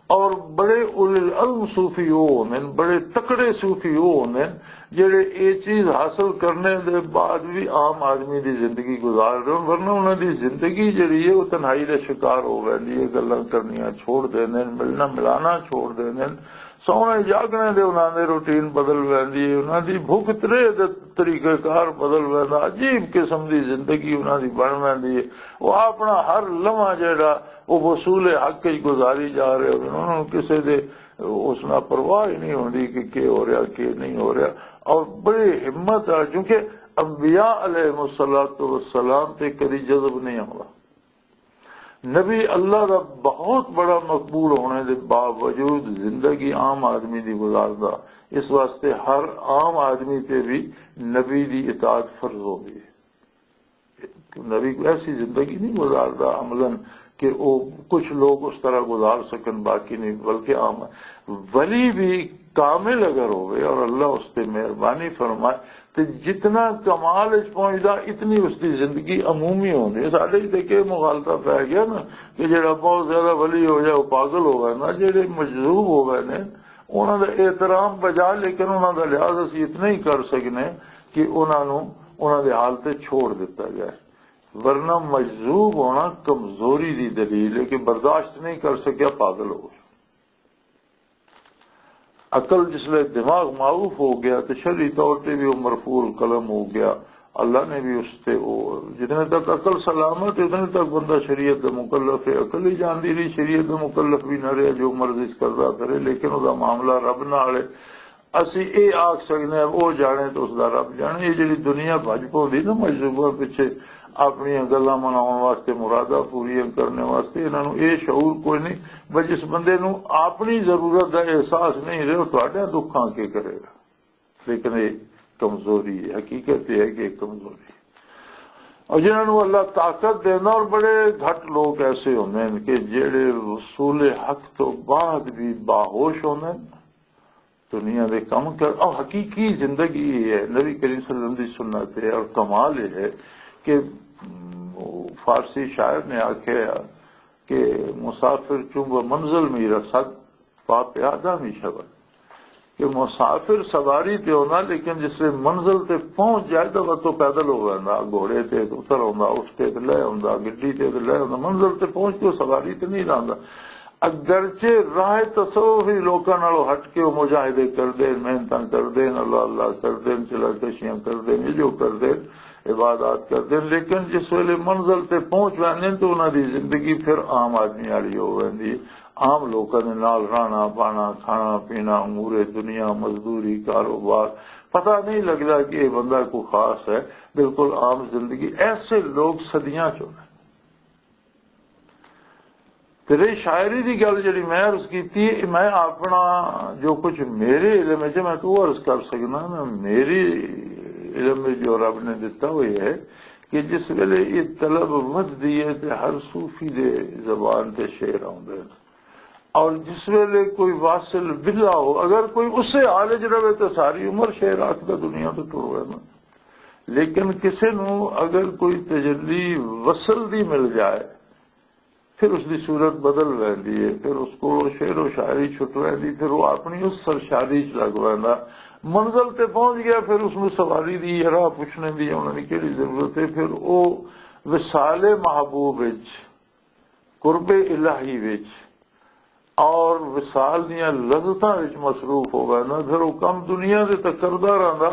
اور بڑے اولے العزم صوفی او ہوندے نے، بڑے تکڑے صوفی او ہوندے نے، جڑے اے چیز حاصل کرنے دے بعد بھی عام آدمی دی زندگی گزار رہے ہون، ورنہ انہاں دی زندگی جڑی ہے، وہ تنہائی دا شکار ہو ویندی ہے، گلاں کرنیاں چھوڑ دیندے نے، ملنا ملانا چھوڑ دیندے نے، سونے جاگنے دے انہاں دے روٹین بدل ویندی ہے، انہاں دی بھوک ترے دے طریقہ کار بدل ویندا، عجیب قسم دی زندگی انہاں دی بن ویندی ہے۔ وہ اپنا ہر لمحہ جڑا وہ وصول حق وچ گزاری جا رہے ہوندے نے، انہاں نوں کسے دے اس نال پرواہ ہی نہیں ہوندی کہ کی ہو رہا، کی نہیں ہو رہا۔ اور بڑی ہمت آ، کیونکہ انبیاء علیہ الصلوۃ والسلام تے کدی جذب نہیں آوندا۔ نبی اللہ دا بہت بڑا مقبول ہونے دے باوجود زندگی عام آدمی دی گزاردا، اس واسطے ہر عام آدمی تے بھی نبی دی اطاعت فرض ہوندی ہے۔ نبی کوئی ایسی زندگی نہیں گزاردا عملاً کہ وہ کچھ لوگ اس طرح گزار سکن، باقی نہیں، بلکہ عام ولی بھی کامل اگر ہوئے اور اللہ اس تے مہربانی فرمائے، تے جتنا کمال وچ پہنچدا، اتنی اس دی زندگی عمومی ہوندی ہے۔ ساڈے وچ تے کہ مغالطہ پی گیا نا، کہ جڑا بہت زیادہ ولی ہو جائے، وہ پاگل ہو گئے نا، جڑے مجذوب ہو گئے نے، انہاں دا احترام بجا، لیکن انہاں دا لحاظ اسی اتنا ہی کر سکنے کہ انہاں نوں انہاں دے حال تے چھوڑ دتا جائے، ورنہ مجذوب ہونا کمزوری دی دلیل ہے کہ برداشت نہیں کر سکیا، پاگل ہو گیا۔ عقل جس لئے دماغ معروف ہو گیا تو شرعی طور تے بھی وہ مرفوع القلم ہو گیا۔ اللہ نے بھی اس تے وہ، جتنے تک عقل سلامت ہے، اتنے تک بندہ شریعت دا مکلف ہے۔ عقل ہی جاندی رہی، شریعت دا مکلف بھی نہ رہیا، جو مرضی کردا کرے، لیکن وہ دا معاملہ رب نال ہے۔ اسی اے آکھ سکنے ہیں، وہ جانے تو اس دا رب جانے۔ یہ جڑی دنیا بھج پوندی نا مجذوبہ پیچھے، اپنیاں گلاں مناؤن واسطے، مراداں پوریاں کرنے واسطے انہاں نوں یہ شعور کوئی نہیں۔ بس جس بندے نوں اپنی ضرورت دا احساس نہیں رہے، وہ تہاڈیاں دکھاں کے کرے گا؟ لیکن یہ کمزوری ہے، حقیقت یہ ہے کہ یہ کمزوری ہے۔ اور جنہاں نوں اللہ طاقت دینا، اور بڑے گھٹ لوگ ایسے ہوندے ہیں کہ جڑے وصول حق تو بعد بھی باہوش ہوندے ہیں، دنیا دے کم کر، اور حقیقی زندگی یہ ہے، نبی کریم صلی اللہ علیہ وسلم دی سنت ہے، اور کمال یہ ہے کہ، م، فارسی شاعر نے آکھیا کہ مسافر چون بہ منزل میرا سد، پا پیادہ می شود۔ کہ مسافر سواری تے ہونا، لیکن جس ویلے منزل تے پہنچ جائے تو وہ تو پیدل ہو ویندا، گھوڑے تے اتر آوندا، اٹھ تے تے لے آوندا، گڈی تے تے لے آوندا، منزل تے پہنچ کے سواری تے نہیں رہندا۔ اگرچہ راہ تصوف ہی لوکاں نالوں ہٹ کے وہ مجاہدے کردے، محنتاں کردے، اللہ اللہ کردے، چلا کشیاں کردے، یہ جو کردے، عبادات کردے، لیکن جس ویلے منزل تے پہنچ ویندے تو انہاں دی زندگی پھر عام آدمی والی ہو ویندی ہے۔ عام لوکاں دے نال رہنا، بانا، کھانا، پینا، امور دنیا، مزدوری، کاروبار، پتہ نہیں لگدا کہ یہ بندہ کوئی خاص ہے۔ بالکل عام زندگی، ایسے لوگ صدیاں چ ہوندے۔ تے رہی شاعری دی گل جڑی میں عرض کیتی، میں اپنا جو کچھ میرے علم وچ میں تو عرض کر سکنا، میں میری علم وچ جو رب نے دتا وہ یہ ہے کہ جس ویلے یہ طلب ودھدی ہے تے ہر صوفی دے زبان تے شعر آوندے نے۔ اور جس ویلے کوئی واصل بلا ہو، اگر کوئی اسے حال وچ رہے تو ساری عمر شعر آکھدا دنیا تو ٹر رہنا۔ لیکن کسے نو اگر کوئی تجلی وصل دی مل جائے، پھر اس دی صورت بدل ویندی ہے، پھر اس کو شعر و شاعری چھٹ ویندی، پھر وہ اپنی اس سرشاری چ لگ ویندا۔ منزل تے پہنچ گیا، پھر اس نو سواری دی یا راہ پوچھنے دی انہاں دی کیڑی ضرورت ہے؟ پھر وہ وصال محبوب وچ، قرب الہی وچ اور وصال دیاں لذتاں وچ مصروف ہو ویندا۔ پھر وہ کم دنیا دے تے کردا رہندا،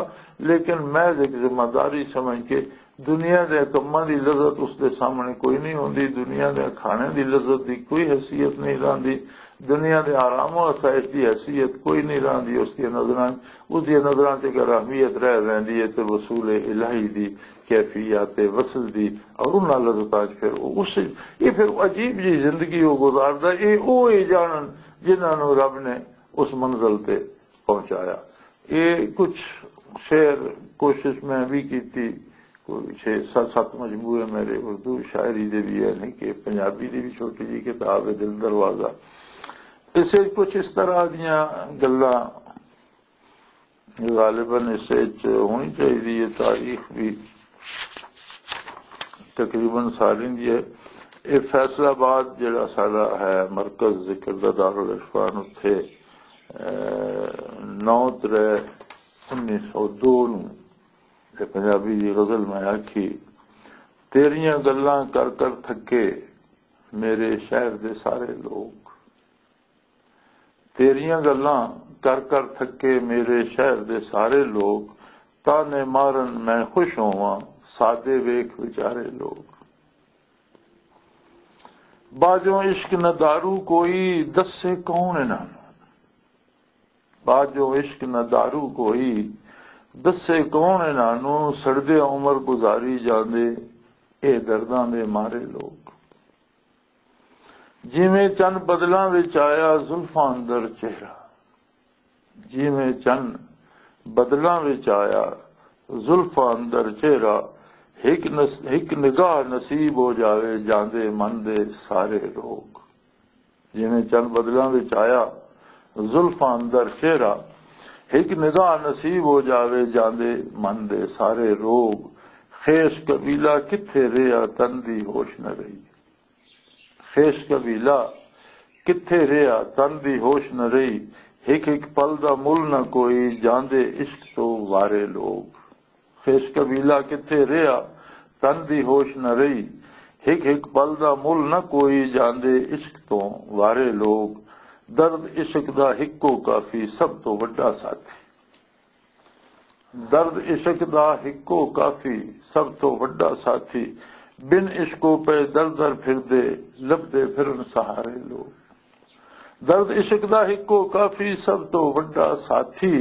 لیکن محض ایک ذمہ داری سمجھ کے دنیا دے کماں دی لذت اس دے سامنے کوئی نہیں ہوندی، دنیا دے کھانے دی لذت دی کوئی حیثیت نہیں رہندی، دنیا دے آرام و آسائش دی حیثیت کوئی نہیں رہندی اس دی نظراں، اس دی نظراں تے اگر اہمیت رہ ویندی ہے تے وصول الہی دی، کیفیات وصل دی، اور انہاں لذتاں چ پھر وہ اس، یہ پھر عجیب جی زندگی وہ گزاردا۔ یہ وہ یہ جانن جنہاں نوں رب نے اس منزل تے پہنچایا۔ یہ کچھ شعر کوشش میں بھی کیتی، کوئی چھ ست ست مجموعے میرے اردو شاعری دے بھی ہے، نہیں کہ پنجابی دی بھی چھوٹی جی کتاب ہے دل دروازہ۔ اس وچ کچھ اس طرح دیاں گلاں غالباً اس وچ ہونی چاہیے، یہ تاریخ بھی تقریباً ساری دی ہے۔ یہ فیصل آباد جڑا سارا ہے مرکز ذکر دا دارالعرفان، اتھے، اے، نو ترے انیس سو دو نوں، یہ پنجابی دی غزل میں آکھی، تیریاں گلاں کر کر تھکے میرے شہر دے سارے لوگ، تیریاں گلاں کر کر تھکے میرے شہر دے سارے لوگ، تانے مارن میں خوش ہوواں، سادے ویکھ وچارے لوگ۔ باجوں عشق نہ دارو کوئی، دسے کون انہاں نوں؟ باجوں عشق نہ دارو کوئی، دسے کون انہاں نوں؟ سڑدے عمر گزاری جاندے، اے درداں دے مارے لوگ۔ جیویں چن بدلاں وچ آیا زلفاں اندر چہرہ، جیویں چن بدلاں وچ آیا زلفاں اندر چہرہ، ہک نس-، ہک نگاہ نصیب ہو جاوے جاندے من دے سارے روگ۔ جیویں چن بدلاں وچ آیا زلفاں اندر چہرہ، ہک نگاہ نصیب ہو جاوے جاندے من دے سارے روگ۔ خیش قبیلہ کتھے رہیا تن دی ہوش نہ رہی، خیش قبیلہ کتھے رہیا تن دی ہوش نہ رہی، ہک ہک پل دا مل نہ کوئی، جاندے عشق تو وارے لوگ۔ خیش قبیلہ کتھے رہیا تن دی ہوش نہ رہی، ہک ہک پل دا مل نہ کوئی، جاندے عشق تو وارے لوگ۔ درد عشق دا ہکو کافی سب تو وڈا ساتھی، درد عشق دا ہکو کافی سب تو وڈا ساتھی، بن عشقوں پہ در در پھردے، لبدے پھرن سہارے لوگ۔ درد عشق دا ہکو کافی سب تو وڈا ساتھی،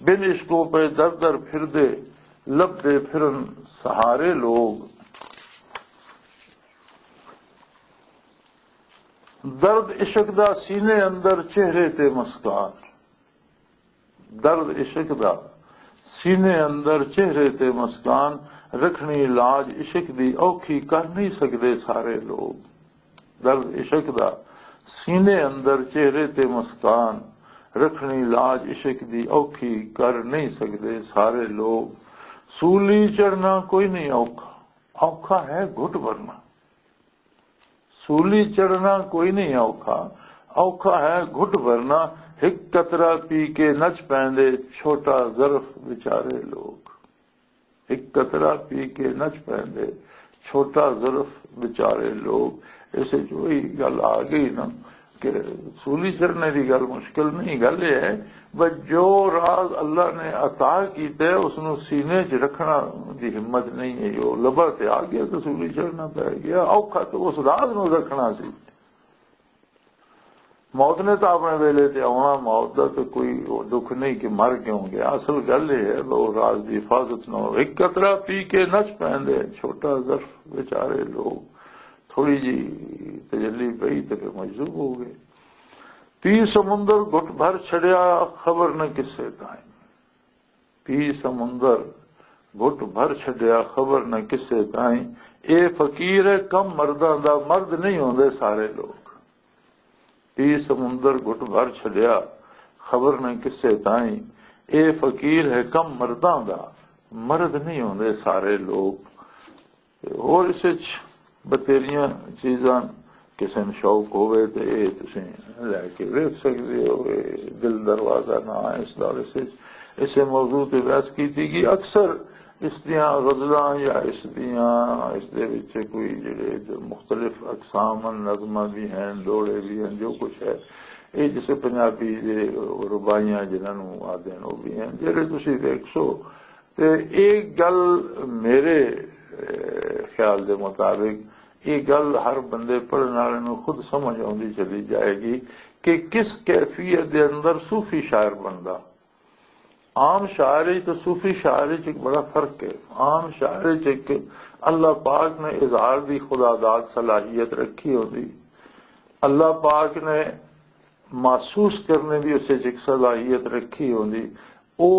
بن عشقوں پہ در در پھردے، لبدے پھرن سہارے لوگ۔ درد عشق دا سینے اندر چہرے تے مسکان، درد عشق دا سینے اندر چہرے تے مسکان، رکھنی لاج عشق دی اوکھی کر نہیں سکدے سارے لوگ۔ درد عشق دا سینے اندر چہرے تے مسکان، رکھنی لاج عشق دی اوکھی کر نہیں سکدے سارے لوگ۔ سولی چڑھنا کوئی نہیں اوکھا، اوکھا ہے گھٹ بھرنا۔ سولی چڑھنا کوئی نہیں اوکھا، اوکھا ہے گھٹ بھرنا۔ ہک قطرہ پی کے نچ پیندے چھوٹا ظرف بیچارے لوگ۔ ہک قطرہ پی کے نچ پیندے چھوٹا ظرف بیچارے لوگ۔ اس وچ وہی گل آ گئی نا کہ سولی چڑھنے دی گل مشکل نہیں، گل یہ ہے بس جو راز اللہ نے عطا کیتا ہے، اس نو سینے 'چ رکھنا دی ہمت نہیں ہے۔ جو لبا تے آ گیا تو سولی چڑھنا پے گیا، اوکھا تو اس راز نو رکھنا سی۔ موت نے تو اپنے ویلے تے آنا، موت دا تو کوئی وہ دکھ نہیں کہ مر کیوں گیا۔ اصل گل یہ ہے، وہ راز دی حفاظت نہ ہو۔ ایک قطرہ پی کے نچ پیندے، چھوٹا ظرف بیچارے لوگ، تھوڑی جی تجلی پئی تے پھر مجذوب ہو گئے۔ تی سمندر گھٹ بھر چھڑیا، خبر نہ کسے تائیں۔ تی سمندر گھٹ بھر چھڈیا، خبر نہ کسے تائیں۔ اے فقیر ہے کم مرداں دا، مرد نہیں ہوندے سارے لوگ۔ تی سمندر گھٹ بھر چھڈیا، خبر نہ کسے تائیں۔ اے فقیر ہے کم مرداں دا، مرد نہیں ہوندے سارے لوگ۔ تے ہور اس وچ بتیریاں چیزاں، کسے نوں شوق ہووے تے اے تسیں لے کے ویکھ سکدے ہو۔ اے دل دروازہ نہ ہے اس دا، اس وچ اسے موضوع تے بحث کیتی گئی۔ اکثر اس دیاں غزلاں یا اس دیاں، اس دے وچ کوئی جڑے جو مختلف اقسام ہن، نظماں بھی ہیں، ڈوڑے بھی ہیں، جو کچھ ہے، اے جسے پنجابی دے رباعیاں جنہاں نوں آدھے ہیں، وہ بھی ہیں۔ جڑے تسیں ویکھسو تے ایک گل میرے، اے، خیال دے مطابق، یہ گل ہر بندے پڑھن والے نوں خود سمجھ آؤندی چلی جائے گی کہ کس کیفیت دے اندر صوفی شاعر بندا۔ عام شاعری تے صوفی شاعری چ ایک بڑا فرق ہے۔ عام شاعری چ ایک اللہ پاک نے اظہار دی خدا داد صلاحیت رکھی ہوندی، اللہ پاک نے محسوس کرنے دی اسے چ ایک صلاحیت رکھی ہوندی۔ او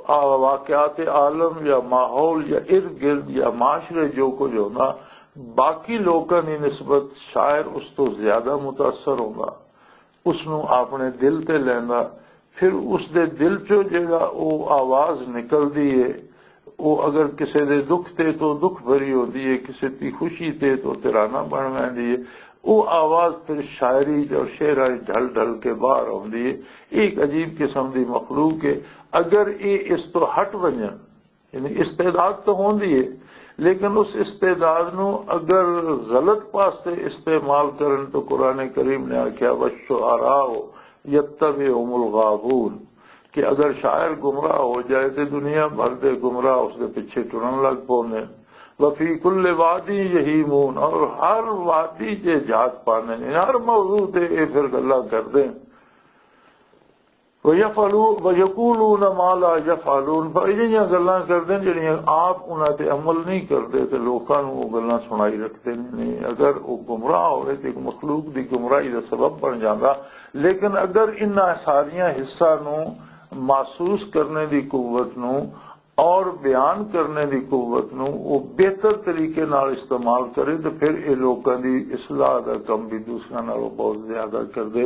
آ-، واقعات عالم یا ماحول یا ارد گرد یا معاشرے جو کچھ ہوندا، باقی لوکاں دی نسبت شاعر اس تو زیادہ متاثر ہوندا، اس نوں اپنے دل تے لیندا۔ پھر اس دے دل چوں جیڑا او آواز نکلدی ہے، او اگر کسے دے دکھ تے تو دکھ بھری ہوندی ہے، کسے دی خوشی تے تو ترانہ بن ویندی ہے۔ او آواز پھر شاعری اور شعراں وچ ڈھل ڈھل کے باہر آوندی ہے۔ یہ ایک عجیب قسم دی مخلوق ہے۔ اگر یہ اس تو ہٹ ونجن، یعنی استعداد تو ہوندی ہے، لیکن اس استعداد نو اگر غلط پاسے استعمال کرن تو قرآن کریم نے آکھیا، "والشعراء یتبعهم الغاوون"، کہ اگر شاعر گمراہ ہو جائے تو دنیا بھر دے گمراہ اس دے پیچھے ٹرن لگ پوندے۔ "وفی کل وادی یہیمون"، اور ہر وادی چ جھات پاندے نے، ہر موضوع تے اے پھر گلاں کردے۔ "ویفعلو-، ویقولون ما لا یفعلون"، پر اجہیاں گلاں کردے نے جڑیاں آپ انہاں تے عمل نہیں کردے تے لوکاں نوں او گلاں سنائی رکھدے نے۔ اگر او گمراہ ہوئے تے ایک مخلوق دی گمراہی دا سبب بن جاندا، لیکن اگر انہاں ساریاں حصہ نوں محسوس کرنے دی قوت نوں اور بیان کرنے دی قوت نوں او بہتر طریقے نال استعمال کرے تے پھر اے لوکاں دی اصلاح دا کم بھی دوسرے نالوں بہت زیادہ کردے۔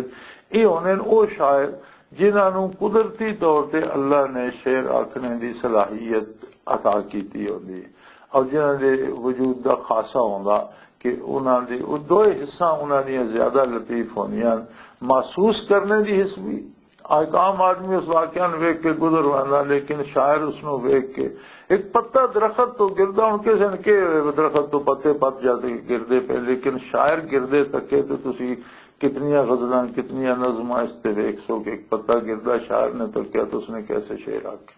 اے ہوندے نے او شاعر جنہاں نوں قدرتی طور تے اللہ نے شعر آکھنے دی صلاحیت عطا کیتی ہوندی ہے، اور جنہاں دے وجود دا خاصہ ہوندا کہ انہاں دی او دوئے حصہ انہاں دیاں زیادہ لطیف ہوندیاں، محسوس کرنے دی حص بھی۔ ایک عام آدمی اس واقعہ نوں ویکھ کے گزر ویندا، لیکن شاعر اس نوں ویکھ کے، ایک پتا درخت تو گردا، ہن کسے نے کہ درخت تو پتے پت جاتے گردے پے، لیکن شاعر گردے تکے تو تسی کتنیاں غزلاں، کتنیاں نظماں اس تے ویکھ سو کہ ایک پتا گردا، شاعر نے تکیا تو اس نے کیسے شعر آکھے۔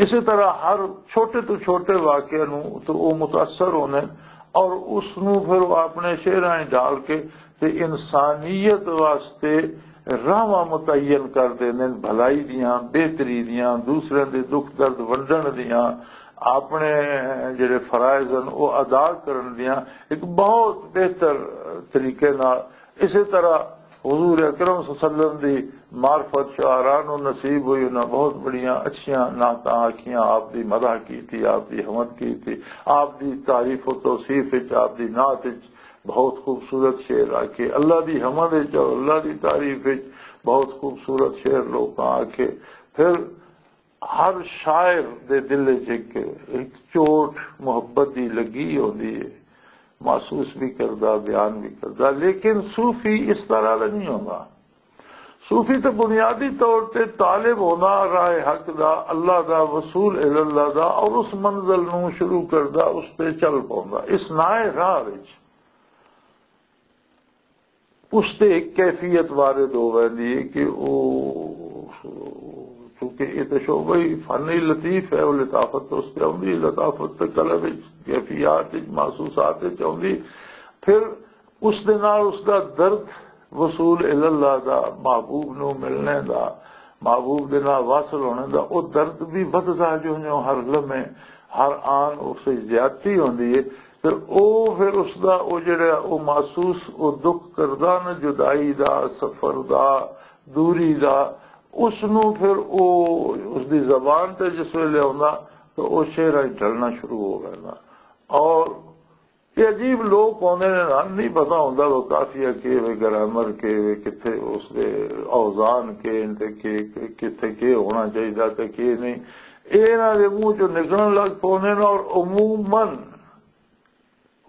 اسی طرح ہر چھوٹے تو چھوٹے واقعے نوں تو او متاثر ہوندے نے اور اس نوں پھر او اپنے شعراں وچ ڈال کے تے انسانیت واسطے راہواں متعین کر دیندے نے، بھلائی دیاں، بہتری دیاں، دوسرے دے دکھ درد ونڈن دیاں، اپنے جڑے فرائض ہن او ادا کرن دیاں ایک بہت بہتر طریقے نال۔ اسی طرح حضور اکرم صلی اللہ علیہ وسلم دی معرفت شعراء نوں نصیب ہوئی، انہاں بہت بڑیاں اچھیاں نعتاں آکھیاں، آپ دی مدح کیتی، آپ دی حمد کیتی، آپ دی تعریف و توصیف وچ، آپ دی نعت وچ بہت خوبصورت شعر آکھے، اللہ دی حمد وچ اور اللہ دی تعریف وچ بہت خوبصورت شعر لوکاں آکھے۔ پھر ہر شاعر دے دل وچ ایک، ایک چوٹ محبت دی لگی ہوندی ہے، محسوس بھی کردا، بیان بھی کردا، لیکن صوفی اس طرح دا نہیں ہوندا۔ صوفی تے بنیادی طور تے طالب ہوندا راہ حق دا، اللہ دا، وصول الی اللہ دا، اور اس منزل نوں شروع کردا، اس تے چل پوندا، اس نائے راہ وچ اس تے ایک کیفیت وارد ہو ویندی ہے کہ او، چونکہ یہ تو شعبہ ہی فن ہی لطیف ہے، وہ لطافت تو اس تے آؤندی، لطافت تے قلب وچ، کیفیات وچ، محسوسات وچ آؤندی۔ پھر اس دے نال اس دا درد وصول الی اللہ دا، محبوب نو ملنے دا، محبوب دے نال واصل ہونے دا، او درد بھی ودھدا جو جو ہر لمحے، ہر آن اس وچ زیادتی ہوندی ہے۔ تے او پھر اس دا او جڑا او محسوس او دکھ کردا نا، جدائی دا، سفر دا، دوری دا، اس نو پھر او اس دی زبان تے جس ویلے آوندا تو او شعراں وچ ڈھلنا شروع ہو ویندا۔ اور یہ عجیب لوگ ہوندے نے نا، نہیں پتہ ہوندا وہ قافیہ کے وے، گرامر کے وے، کتھے اس دے اوزان کے تے کے، کتھے کے ہونا چاہیدا تے کے نہیں۔ اے انہاں دے منہ چوں نکلن لگ پوندے نے اور عموماً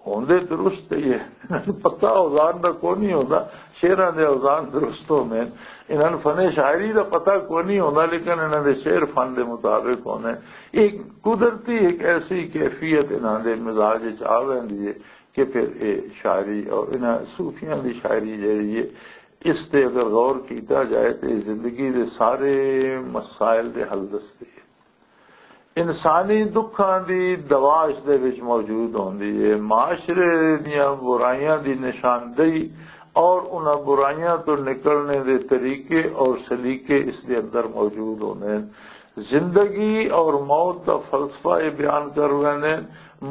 ہوندے درست ہی ہے۔ انہاں نوں پتہ اوزان دا کوئی نہیں ہوندا، شعراں دے اوزان درست ہوندے نے۔ انہاں نوں فن شاعری دا پتہ کوئی نہیں ہوندا، لیکن انہاں دے شعر فن دے مطابق ہوندے نے۔ ایک قدرتی ایک ایسی کیفیت انہاں دے مزاج وچ آ ویندی ہے کہ پھر اے شاعری اور انہاں صوفیاں دی شاعری جڑی ہے، اس تے اگر غور کیتا جائے تو زندگی دے سارے مسائل دے حل دسدی ہے۔ انسانی دکھاں دی دوا اس دے وچ موجود ہوندی ہے، معاشرے دیاں برائیاں دی نشاندہی اور انہاں برائیاں تو نکلنے دے طریقے اور سلیقے اس دے اندر موجود ہوندے ہیں۔ زندگی اور موت دا فلسفہ یہ بیان کر ویندے ہیں،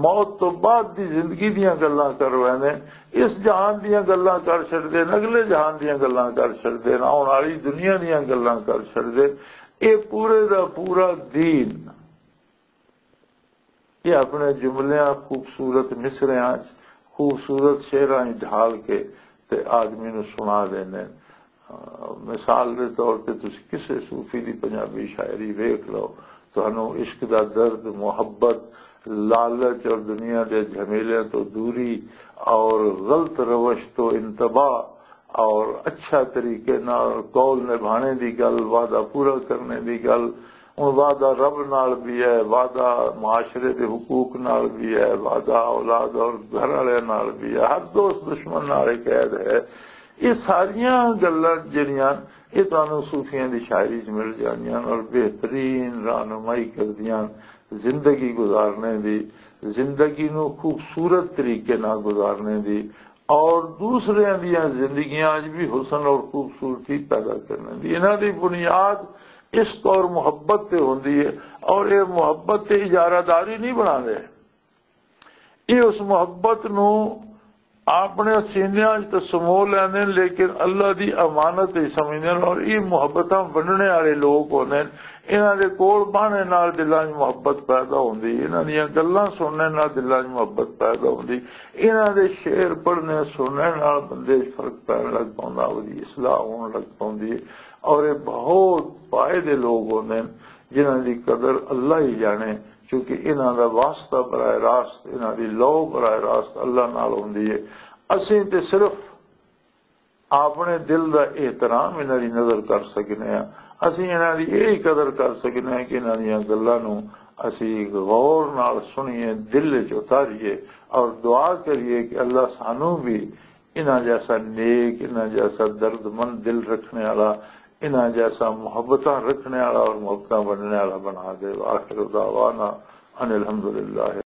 موت تو بعد دی زندگی دیاں گلاں کر ویندے ہیں، اس جہان دیاں گلاں کر چھڈدے ہیں، اگلے جہان دیاں گلاں کر چھڈدے ہیں، آن والی دنیا دیاں گلاں کر چھڈدے ہیں۔ اے پورے دا پورا دین یہ اپنے جملیاں خوبصورت مصریاں چ، خوبصورت شعراں چ ڈھال کے تے آدمی نو سنا دیندے نے۔ آ، مثال دے طور تے تسی کسے صوفی دی پنجابی شاعری ویکھ لو، تانوں عشق دا درد، محبت، لالچ اور دنیا دے جھمیلیاں تو دوری اور غلط روش تو انتباہ اور اچھا طریقے نال قول نبھانے دی گل، وعدہ پورا کرنے دی گل، ہن وعدہ رب نال بھی ہے، وعدہ معاشرے دے حقوق نال بھی ہے، وعدہ اولاد اور گھر والے نال بھی ہے، ہر دوست دشمن نال ایک عہد ہے۔ یہ ساریاں گلاں جڑیاں، یہ تانوں صوفیاں دی شاعری چ مل جاندیاں اور بہترین رہنمائی کردیاں زندگی گزارنے دی، زندگی نو خوبصورت طریقے نال گزارنے دی، اور دوسریاں دیاں زندگیاں وچ بھی حسن اور خوبصورتی پیدا کرنے دی۔ انہاں دی بنیاد عشق اور محبت تے ہوندی ہے، اور یہ محبت تے اجارہ داری نہیں بنا دے۔ یہ اس محبت نو اپنے سینیاں وچ تے سمو لیندے نے، لیکن اللہ دی امانت ہی سمجھدے نے، اور یہ محبتاں ونڈنے والے لوگ ہوندے نے۔ انہاں دے کول بہنے نال دلاں 'چ محبت پیدا ہوندی، انہاں دیاں گلاں سننے نال دلاں 'چ محبت پیدا ہوندی، انہاں دے شعر پڑھنے سننے نال بندے 'چ فرق پین لگ پوندا، اودی اصلاح ہون لگ پوندی ہے۔ اور یہ بہت پائے دے لوگ ہوندے نے جنہاں دی قدر اللہ ہی جانے، کیونکہ انہاں دا واسطہ براہ راست، انہاں دی لو براہ راست اللہ نال ہوندی ہے۔ اسیں تے صرف اپنے دل دا احترام انہاں دی نظر کر سکنے ہاں۔ اسی انہاں دی یہی قدر کر سکنے ہاں کہ انہاں دیاں گلاں نوں اسی غور نال سنیے، دل وچ اتاریے اور دعا کریے کہ اللہ سانوں بھی انہاں جیسا نیک، انہاں جیسا درد مند دل رکھنے والا، انہاں جیسا محبتاں رکھنے والا اور محبتاں ونڈنے والا بنا دے۔ وآخر دعوانا ان الحمدللہ۔